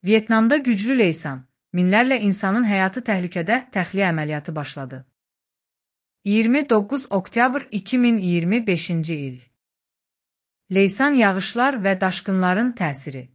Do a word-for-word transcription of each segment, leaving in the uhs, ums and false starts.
Vyetnamda güclü leysan, minlərlə insanın həyatı təhlükədə təxliyə əməliyyatı başladı. iyirmi doqquz oktyabr iki min iyirmi beşinci il. Leysan yağışlar və daşqınların təsiri.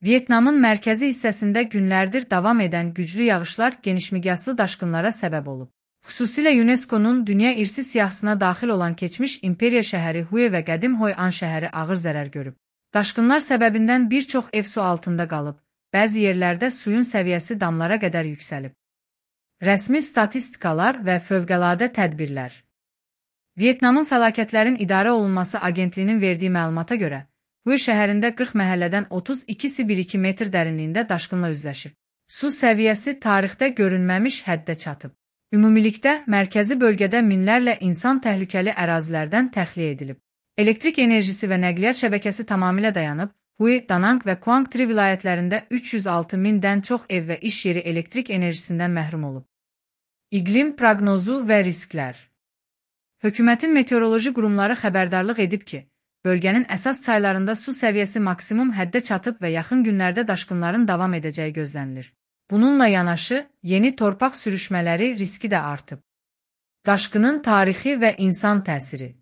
Vyetnamın mərkəzi hissəsində günlərdir davam edən güclü yağışlar genişmiqyaslı daşqınlara səbəb olub. Xüsusilə UNESCO-nun Dünya İrsi siyahısına daxil olan keçmiş imperiya şəhəri Hue və qədim Hoi An şəhəri ağır zərər görüb. Daşqınlar səbəbindən bir çox ev su altında qalıb, bəzi yerlərdə suyun səviyyəsi damlara qədər yüksəlib. Rəsmi statistikalar və fövqəladə tədbirlər. Vyetnamın Fəlakətlərin İdarə Olunması Agentliyinin verdiyi məlumata görə, Hue şəhərində qırx məhəllədən otuz ikisi bir iki metr dərinliyində daşqınla üzləşib. Su səviyyəsi tarixdə görünməmiş həddə çatıb. Ümumilikdə, mərkəzi bölgədə minlərlə insan təhlükəli ərazilərdən təxliyə edilib. Elektrik enerjisi və nəqliyyat şəbəkəsi tamamilə dayanıb, Hue, Danang və Quang Tri vilayətlərində üç yüz altı mindən çox ev və iş yeri elektrik enerjisindən məhrum olub. İqlim proqnozu və risklər. Hökumətin meteoroloji qurumları xəbərdarlıq edib ki, bölgənin əsas çaylarında su səviyyəsi maksimum həddə çatıb və yaxın günlərdə daşqınların davam edəcəyi gözlənilir. Bununla yanaşı, yeni torpaq sürüşmələri riski də artıb. Daşqının tarixi və insan təsiri.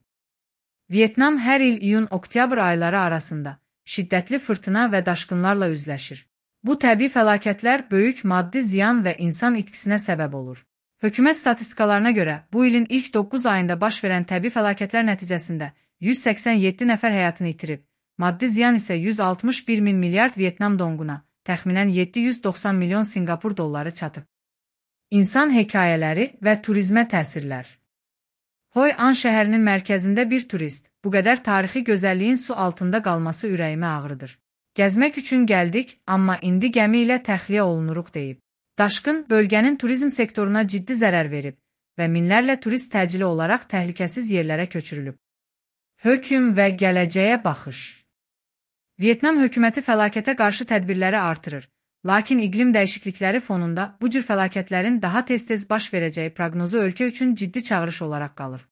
Vyetnam hər il iyun-oktyabr ayları arasında şiddətli fırtına və daşqınlarla üzləşir. Bu təbii fəlakətlər böyük maddi ziyan və insan itkisinə səbəb olur. Hökumət statistikalarına görə, bu ilin ilk doqquz ayında baş verən təbii fəlakətlər nəticəsində yüz səksən yeddi nəfər həyatını itirib, maddi ziyan isə yüz altmış bir min milyard Vyetnam donquna, təxminən yeddi yüz doxsan milyon Sinqapur dolları çatıb. İnsan hekayələri və turizmə təsirlər. Hoi An şəhərinin mərkəzində bir turist, bu qədər tarixi gözəlliyin su altında qalması ürəyimə ağrıdır. Gəzmək üçün gəldik, amma indi gəmi ilə təxliyə olunuruq deyib. Daşqın bölgənin turizm sektoruna ciddi zərər verib və minlərlə turist təcili olaraq təhlükəsiz yerlərə köçürülüb. Hökm və gələcəyə baxış. Vyetnam hökuməti fəlakətə qarşı tədbirləri artırır, lakin iqlim dəyişiklikləri fonunda bu cür fəlakətlərin daha tez-tez baş verəcəyi proqnozu ölkə üçün ciddi çağırış olaraq qalır.